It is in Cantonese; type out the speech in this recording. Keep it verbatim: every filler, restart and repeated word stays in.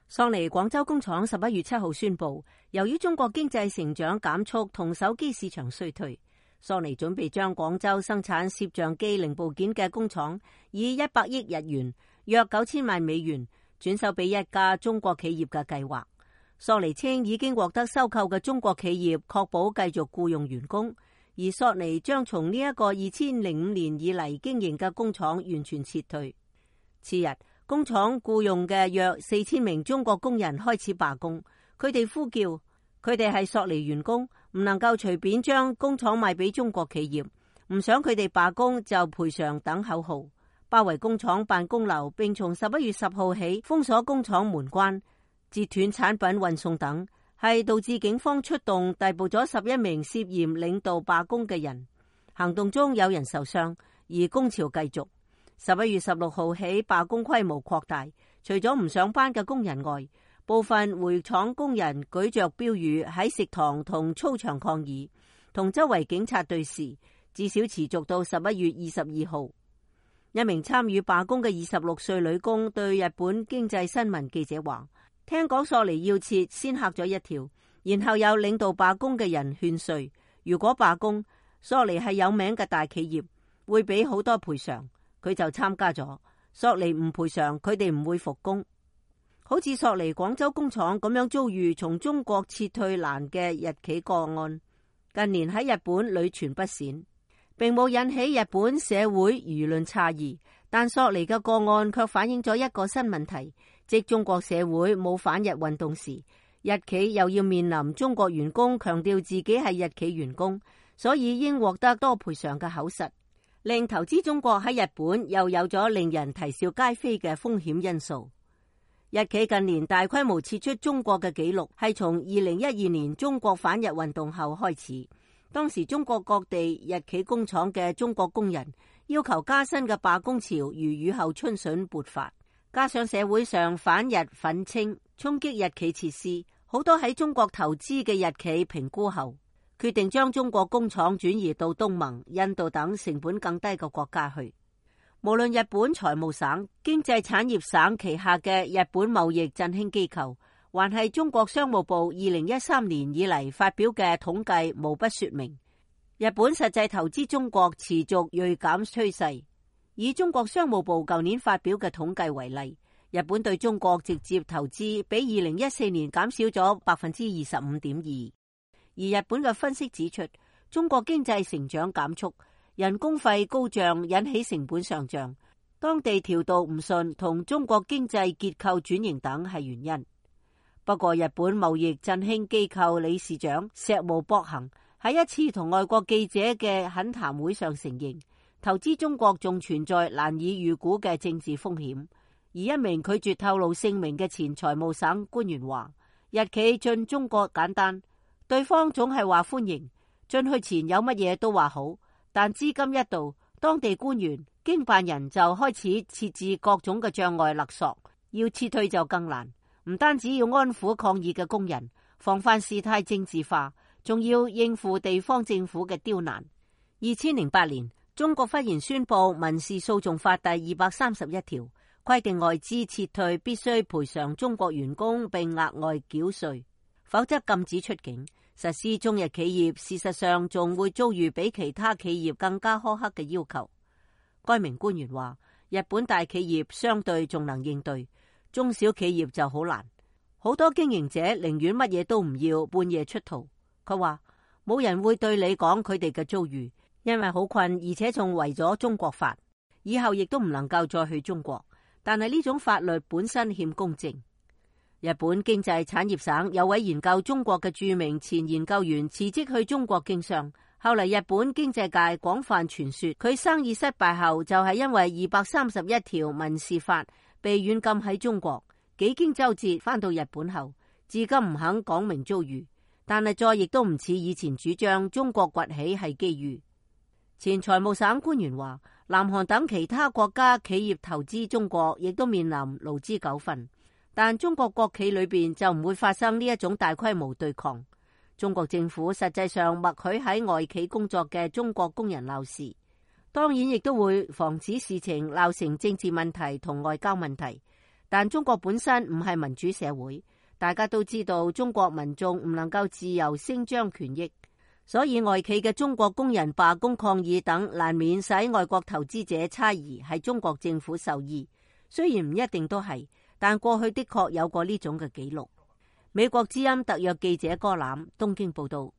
索尼廣州工廠十一月七號宣布，由於中國經濟成長減速同手機市場衰退，索尼準備將廣州生產攝像機零部件嘅工廠以一百億日元約九千萬美元轉售俾一家中國企業嘅計劃。索尼稱已經獲得收購嘅中國企業確保繼續僱用員工，而索尼將從呢一個二千零五年以嚟經營嘅工廠完全撤退。次日，工廠僱用嘅約四千名中國工人開始罷工，佢哋呼叫佢哋係索尼員工，唔能夠隨便將工廠賣俾中國企業，唔想佢哋罷工就賠償等口號，包圍工廠辦公樓，並從十一月十號起封鎖工廠門關，截斷產品運送等，係導致警方出動逮捕咗十一名涉嫌領導罷工嘅人。行動中有人受傷，而工潮繼續。十一月十六號起，罷工規模擴大，除咗唔上班嘅工人外，部分回廠工人舉着標語喺食堂同操場抗議，同周圍警察對峙，至少持續到十一月二十二號。一名參與罷工嘅二十六歲女工對日本經濟新聞記者話：聽講索尼要撤，先嚇咗一跳，然後有領導罷工嘅人勸說，如果罷工，索尼係有名嘅大企業，會俾好多賠償。佢就參加咗。索尼唔賠償，佢哋唔會復工。好似索尼廣州工廠咁樣遭遇從中國撤退難嘅日企個案，近年喺日本屢傳不鮮，並冇引起日本社會輿論詫異。但索尼嘅個案卻反映咗一個新問題，即中國社會冇反日運動時，日企又要面臨中國員工強調自己係日企員工，所以應獲得多賠償嘅口實，令投資中國喺日本又有咗令人啼笑皆非嘅風險因素。日企近年大規模撤出中國嘅紀錄係從二零一二年中國反日運動後開始，當時中國各地日企工廠嘅中國工人要求加薪嘅罷工潮如雨後春筍勃發，加上社會上反日憤青衝擊日企設施，好多喺中國投資嘅日企評估後決定將中國工廠轉移到東盟、印度等成本更低嘅國家去。無論日本財務省、經濟產業省旗下嘅日本貿易振興機構，還係中國商務部二零一三年以嚟發表嘅統計，無不說明日本實際投資中國持續銳減趨勢。以中國商務部舊年發表嘅統計為例，日本對中國直接投資比二零一四年減少咗百分之二十五點二。而日本嘅分析指出，中國經濟成長減速，人工費高漲引起成本上漲，當地調度唔順同中國經濟結構轉型等係原因。不過，日本貿易振興機構理事長石毛博行喺一次同外國記者嘅懇談會上承認，投資中國仲存在難以預估嘅政治風險。而一名拒絕透露姓名嘅前財務省官員話：日企進中國簡單。對方總係話歡迎，進去前有乜嘢都話好，但資金一到，當地官員、經辦人就開始設置各種嘅障礙勒索，要撤退就更難。唔單止要安撫抗議嘅工人，防範事態政治化，仲要應付地方政府嘅刁難。二千零八年，中國忽然宣布民事訴訟法第二百三十一條，規定外資撤退必須賠償中國員工並額外繳稅，否則禁止出境。實施中日企業事實上仲會遭遇比其他企業更加苛刻嘅要求。該名官員話：日本大企業相對仲能應對，中小企業就好難。好多經營者寧願乜嘢都唔要，半夜出逃。佢話冇人會對你講佢哋嘅遭遇，因為好困，而且仲違咗中國法，以後亦都唔能夠再去中國。但係呢種法律本身欠公正。日本經濟產業省有位研究中國嘅著名前研究員辭職去中國經商，後嚟日本經濟界廣泛傳說佢生意失敗後就係因為二百三十一條民事法被軟禁喺中國，幾經周折返到日本後，至今唔肯講明遭遇，但係再亦都唔似以前主張中國崛起係機遇。前財務省官員話，南韓等其他國家企業投資中國亦都面臨勞資糾紛。但中國國企裏邊就唔會發生呢一種大規模對抗。中國政府實際上默許喺外企工作嘅中國工人鬧事，當然亦都會防止事情鬧成政治問題同外交問題。但中國本身唔係民主社會，大家都知道中國民眾唔能夠自由聲張權益，所以外企嘅中國工人罷工抗議等，難免使外國投資者猜疑係中國政府授意。雖然唔一定都係，但過去的確有過呢種嘅記錄。美國之音特約記者柯攬東京報道。